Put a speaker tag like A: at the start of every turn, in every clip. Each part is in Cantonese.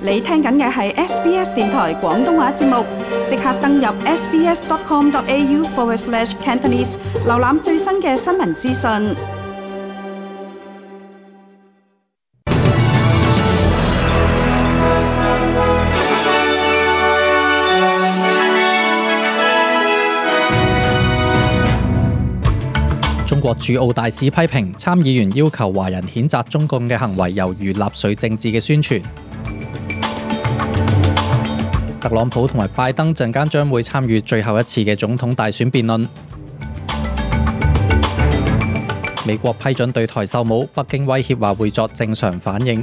A: 你聽緊嘅係 SBS 電台廣東話節目，即刻登入 sbs.com.au/Cantonese 瀏覽最新嘅新聞資訊。
B: 中國駐澳大使批評參議員要求華人譴責中共嘅行為猶如納粹政治嘅宣傳。特朗普同埋拜登陣間將會參與最後一次嘅總統大選辯論。美國批准對台售武，北京威脅話會作正常反應。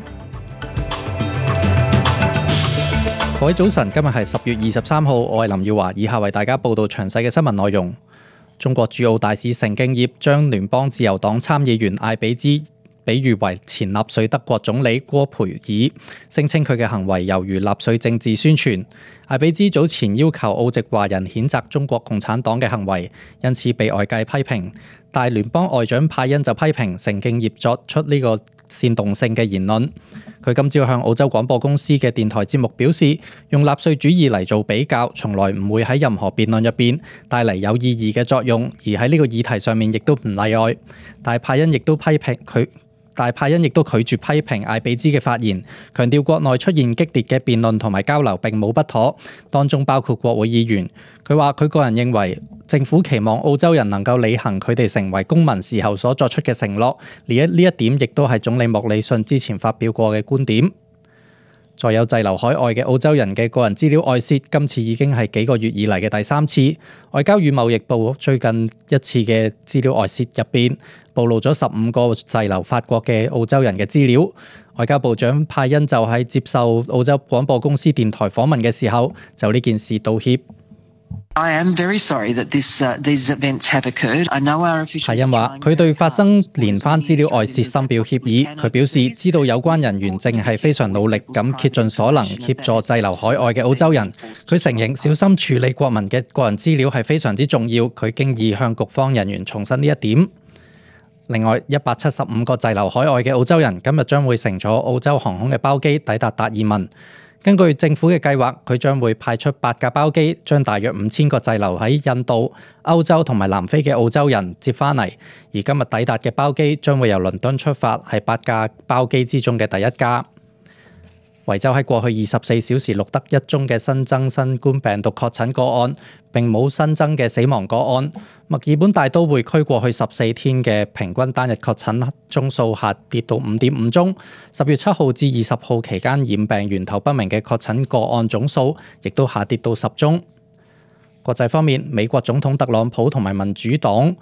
B: 各位早晨，今日係10月23號，我係林耀華，以下為大家報道詳細嘅新聞內容。中國駐澳大使成敬業將聯邦自由黨參議員艾比茲比喻為前納粹德國總理戈培爾，聲稱佢嘅行為猶如納粹政治宣傳。艾比茲早前要求澳籍華人譴責中國共產黨嘅行為，因此被外界批評。但聯邦外長派恩就批評成敬業作出呢個煽動性嘅言論。佢今朝向澳洲廣播公司嘅電台節目表示，用納粹主義嚟做比較，從來唔會喺任何辯論入邊帶嚟有意義嘅作用，而喺呢個議題上面亦都唔例外。但派恩亦都拒絕批評艾比茲嘅發言，強調國內出現激烈嘅辯論同埋交流並冇不妥，當中包括國會議員。佢話佢個人認為政府期望澳洲人能夠履行佢哋成為公民時候所作出嘅承諾，呢一點亦都係總理莫里遜之前發表過嘅觀點。再有滯留海外嘅澳洲人嘅個人資料外泄，今次已經係幾個月以嚟嘅第3次。外交與貿易部最近一次嘅資料外泄入邊，暴露咗15個滯留法國嘅澳洲人嘅資料。外交部長派恩就喺接受澳洲廣播公司電台訪問嘅時候，就呢件事道歉。
C: I am very sorry that these events have occurred. I know our officials.
B: 派恩話：佢對發生連番資料外泄深表歉意。佢表示知道有關人員正係非常努力咁竭盡所能協助滯留海外嘅澳洲人。佢承認小心處理國民嘅個人資料係非常之重要。佢經已向局方人員重申呢一點。另外，175個滯留海外嘅澳洲人今日將會乘坐澳洲航空嘅包機抵達達爾文。根據政府嘅計劃，佢將會派出8架包機，將大約5000個滯留喺印度、歐洲同埋南非嘅澳洲人接返嚟。而今日抵達嘅包機將會由倫敦出發，係8架包機之中嘅第1架。維州喺過去24小時錄得1宗嘅新增新冠病毒確診個案，並冇新增嘅死亡個案。墨爾本大都會區過去14天嘅平均單日確診宗數下跌到5.5宗。10月7號至20號期間染病源頭不明嘅確診個案總數亦都下跌到10宗。國際方面，美國總統特朗普同埋民主黨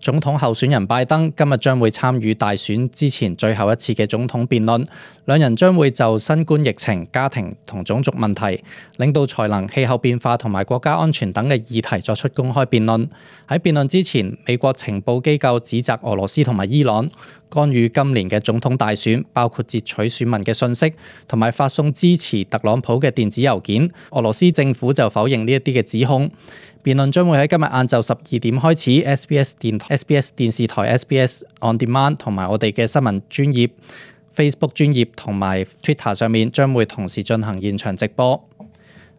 B: 總統候選人拜登今日將會參與大選之前最後一次嘅總統辯論，兩人將會就新冠疫情、家庭同種族問題、領導才能、氣候變化同埋國家安全等嘅議題作出公開辯論。喺辯論之前，美國情報機構指責俄羅斯同埋伊朗干預今年嘅總統大選，包括截取選民嘅信息同埋發送支持特朗普嘅電子郵件。俄羅斯政府就否認呢一啲嘅指控。辯論將會喺今日晏晝12點開始 SBS 電視台 SBS On Demand 同埋我哋嘅新聞專頁 Facebook 專頁同埋 Twitter 上面將會同時進行現場直播。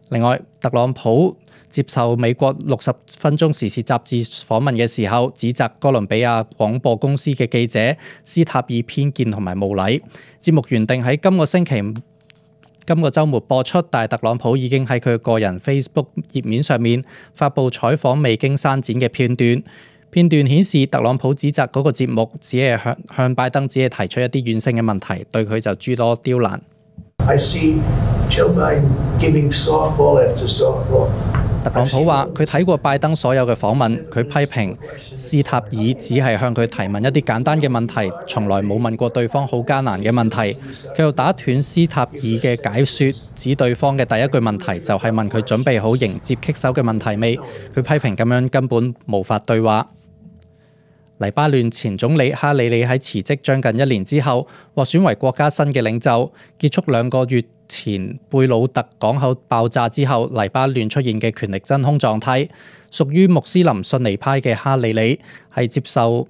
B: 另外，特朗普接受美國60分鐘時事雜誌訪問嘅時候，指責哥倫比亞廣播公司嘅記者斯塔爾偏見同埋無禮。節目原定喺今個週末播出，但係特朗普已經喺佢個人 Facebook 頁面上面發布採訪未經刪剪嘅片段。片段顯示特朗普指責嗰個節目只係向拜登只係提出一啲軟性嘅問題，對佢就諸多刁難。
D: I see Joe Biden giving softball after softball.
B: 特朗普話：佢睇過拜登所有嘅訪問，佢批評斯塔爾只係向佢提問一啲簡單嘅問題，從來冇問過對方好艱難嘅問題。佢又打斷斯塔爾嘅解說，指對方嘅第一句問題就係問佢準備好迎接棘手嘅問題未。佢批評咁樣根本無法對話。黎巴嫩前總理哈里里喺辭職將近1年之後，獲選為國家新嘅領袖。結束2個月前貝魯特港口爆炸之後，黎巴嫩出現嘅權力真空狀態。屬於穆斯林遜尼派嘅哈里里係接受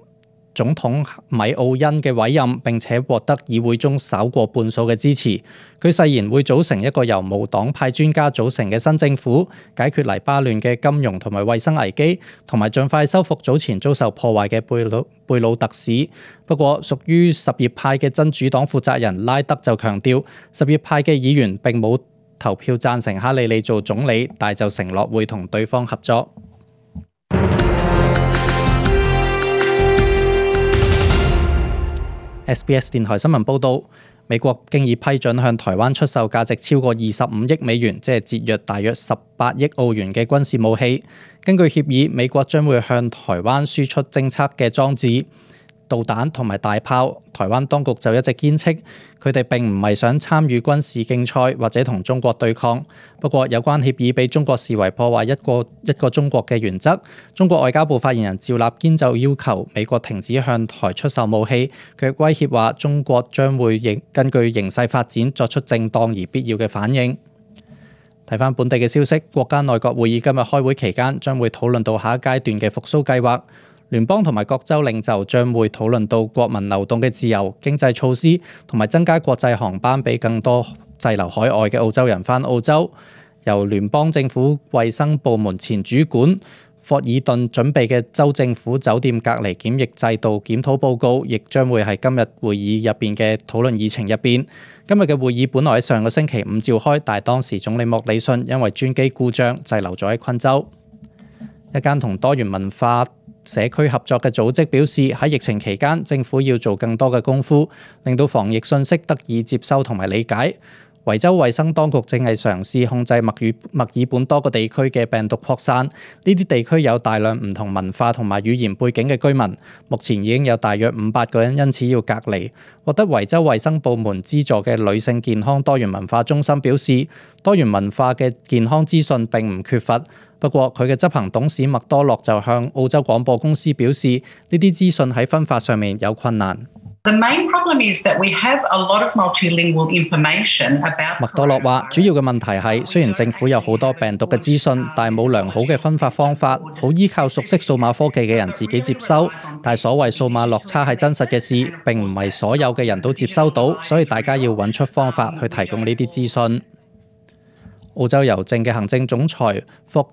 B: 總統米奧恩嘅委任，並且獲得議會中稍過半數嘅支持。佢誓言會組成一個由無黨派專家組成嘅新政府，解決黎巴嫩嘅金融同埋衛生危機，同埋盡快修復早前遭受破壞嘅貝魯特市。不過，屬於什葉派嘅真主黨負責人拉德就強調，什葉派嘅議員並冇投票贊成哈里利做總理，但就承諾會同對方合作。SBS 電台新聞報導，美國經已批准向台灣出售價值超過25億美元，即係折約大約18億澳元嘅軍事武器。根據協議，美國將會向台灣輸出偵測嘅裝置、導彈同埋大炮。台灣當局就一直堅稱，佢哋並唔係想參與軍事競賽或者同中國對抗。不過，有關協議被中國視為破壞一個中國嘅原則。中國外交部發言人趙立堅就要求美國停止向台出售武器，佢威脅話中國將會根據形勢發展作出正當而必要嘅反應。睇返本地嘅消息，國家內閣會議今日開會期間將會討論到下一階段嘅復甦計劃。聯邦同埋各州領袖將會討論到國民流動嘅自由、經濟措施同埋增加國際航班俾更多滯留海外嘅澳洲人返澳洲。由聯邦政府衛生部門前主管霍爾頓準備嘅州政府酒店隔離檢疫制度檢討報告，亦將會係今日會議入邊嘅討論議程入邊。今日嘅會議本來喺上個星期五召開，但係當時總理莫里遜因為專機故障滯留咗喺昆州。一間同多元文化社區合作嘅組織表示，喺疫情期間，政府要做更多嘅功夫，令到防疫信息得以接收同埋理解。維州衛生當局正係嘗試控制墨爾本多個地區嘅病毒擴散。呢啲地區有大量唔同文化同埋語言背景嘅居民，目前已經有大約500個人因此要隔離。獲得維州衛生部門資助嘅女性健康多元文化中心表示，多元文化嘅健康資訊並唔缺乏。不過，佢嘅執行董事麥多洛就向澳洲廣播公司表示，呢啲資訊喺分發上面有困難。
E: The main problem is that we have a lot of multilingual information about。
B: 麥多洛話，主要嘅問題係，雖然政府有好多病毒嘅資訊，但係冇良好嘅分發方法，好依靠熟悉數碼科技嘅人自己接收。但係所謂數碼落差係真實嘅事，並唔係所有嘅人都接收到，所以大家要揾出方法去提供呢啲資訊。澳洲郵政嘅行政總裁霍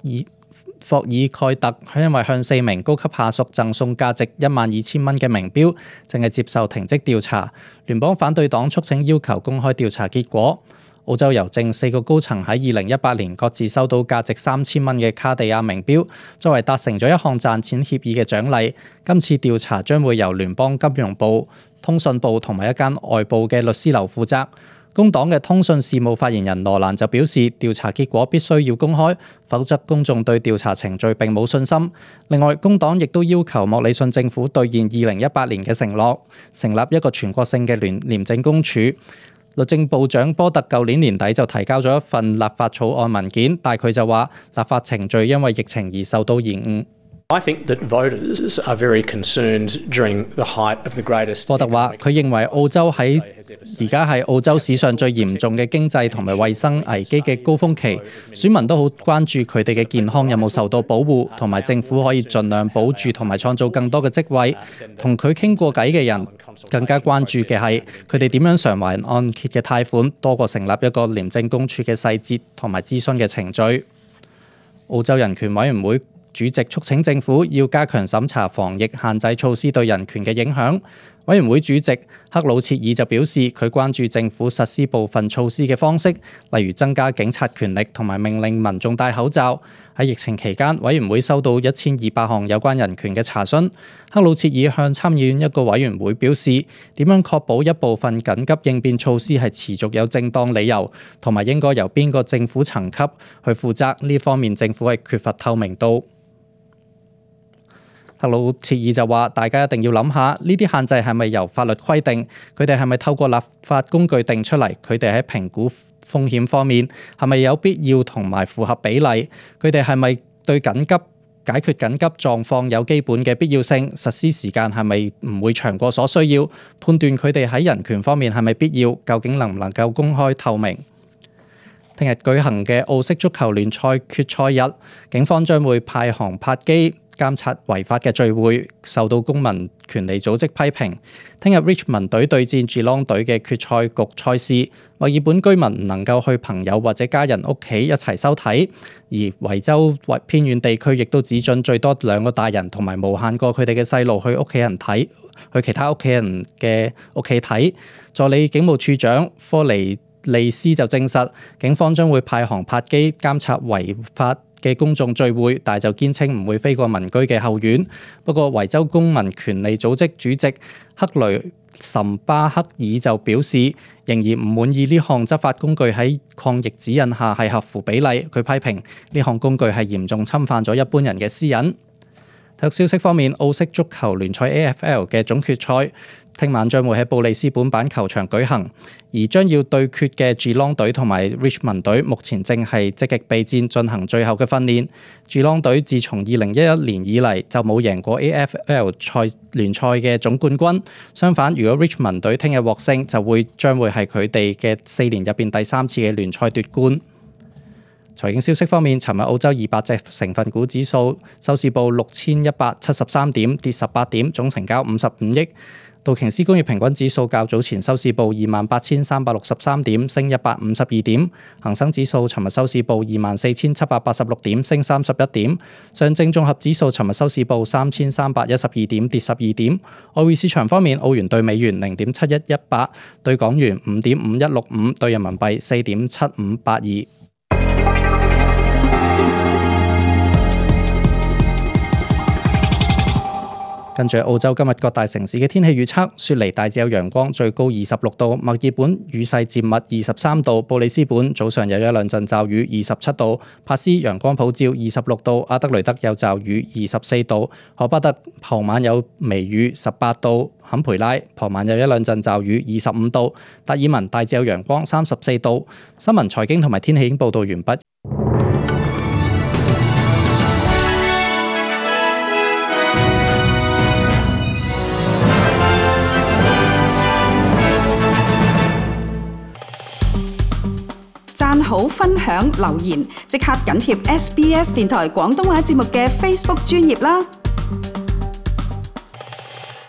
B: 爾蓋特因為向4名高級下屬贈送價值12,000蚊嘅名錶，正係接受停職調查。聯邦反對黨促請要求公開調查結果。澳洲郵政4個高層喺2018年各自收到價值3,000蚊嘅卡地亞名錶，作為達成咗一項賺錢協議嘅獎勵。今次調查將會由聯邦金融部、通訊部同埋一間外部嘅律師樓負責。工黨嘅通訊事務發言人羅蘭就表示，調查結果必須要公開，否則公眾對調查程序並冇信心。另外，工黨亦都要求莫里遜政府兌現2018年嘅承諾，成立一個全國性嘅廉政公署。律政部長波特舊年年底就提交咗一份立法草案文件，但佢就話立法程序因為疫情而受到延誤。
F: I think that voters are very concerned during the height of the greatest。
B: 波特話：佢認為澳洲喺而家係澳洲史上最嚴重嘅經濟同埋衛生危機嘅高峰期，選民都好關注佢哋嘅健康有冇受到保護，同埋政府可以盡量保住同埋創造更多嘅職位。同佢傾過偈嘅人更加關注嘅係佢哋點樣償還按揭嘅貸款，多過成立一個廉政公署嘅細節同埋諮詢嘅程序。澳洲人權委員會主席促請政府要加強審查防疫限制措施對人權嘅影響。委員會主席克魯切爾就表示，佢關注政府實施部分措施嘅方式，例如增加警察權力同埋命令民眾戴口罩。喺疫情期間，委員會收到1200項有關人權嘅查詢。克魯切爾向參議院一個委員會表示，點樣確保一部分緊急應變措施係持續有正當理由，同埋應該由邊個政府層級去負責，呢方面政府係缺乏透明度。克魯切爾就話：大家一定要諗下，呢啲限制係咪由法律規定？佢哋係咪透過立法工具定出嚟？佢哋喺評估風險方面係咪有必要同埋符合比例？佢哋係咪對解決緊急狀況有基本嘅必要性？實施時間係咪唔會長過所需要？判斷佢哋喺人權方面係咪必要？究竟能唔能夠公開透明？聽日舉行嘅澳式足球聯賽決賽日，警方將會派航拍機監察違法嘅聚會，受到公民權利組織批評。聽日 Richmond 隊對戰 Geelong 隊嘅決賽局賽事，墨爾本居民唔能夠去朋友或者家人屋企一齊收睇，而維州或偏遠地區亦都只准最多2個大人同埋無限個佢哋嘅細路去屋企人睇，去其他屋企人嘅屋企睇。助理警務處長科尼利斯就證實，警方將會派航拍機監察違法嘅公眾聚會，但就堅稱唔會飛過民居嘅後院。不過維州公民權利組織主席克雷岑巴克爾就表示，仍然唔滿意呢項執法工具喺抗疫指引下係合乎比例。佢批評呢項工具係嚴重侵犯咗一般人嘅私隱。體育消息方面，澳式足球聯賽 AFL 嘅總決賽聽晚將會喺布里斯本板球場舉行，而將要對決嘅 Geelong 隊同埋 Richmond 隊目前正係積極備戰進行最後嘅訓練。Geelong 隊自從2011年以嚟就冇贏過 AFL 聯賽嘅總冠軍。相反，如果 Richmond 隊聽日獲勝，就將會係佢哋嘅4年入邊第3次嘅聯賽奪冠。財經消息方面，尋日澳洲200隻成分股指數收市報6173點，跌18點，總成交55億。道瓊斯工業平均指數較早前收市報28363點，升152點。恒生指數尋日收市報24786點，升31點。上證綜合指數尋日收市報3312點，跌12點。外匯市場方面，澳元對美元0.7118，對港元5.5165，對人民幣4.7582。跟住澳洲今日各大城市嘅天氣預測，雪梨大致有陽光，最高26度；墨爾本雨勢漸密23度；布里斯本早上有1兩陣驟雨27度；帕斯陽光普照26度；阿德雷德有驟雨24度；荷巴特傍晚有微雨18度；坎培拉傍晚有1兩陣驟雨25度；達爾文大致有陽光34度。新聞財經同埋天氣已經報道完畢。
A: 讚好、分享、留言，即刻緊貼SBS 電台廣東話節目嘅 Facebook 專頁啦！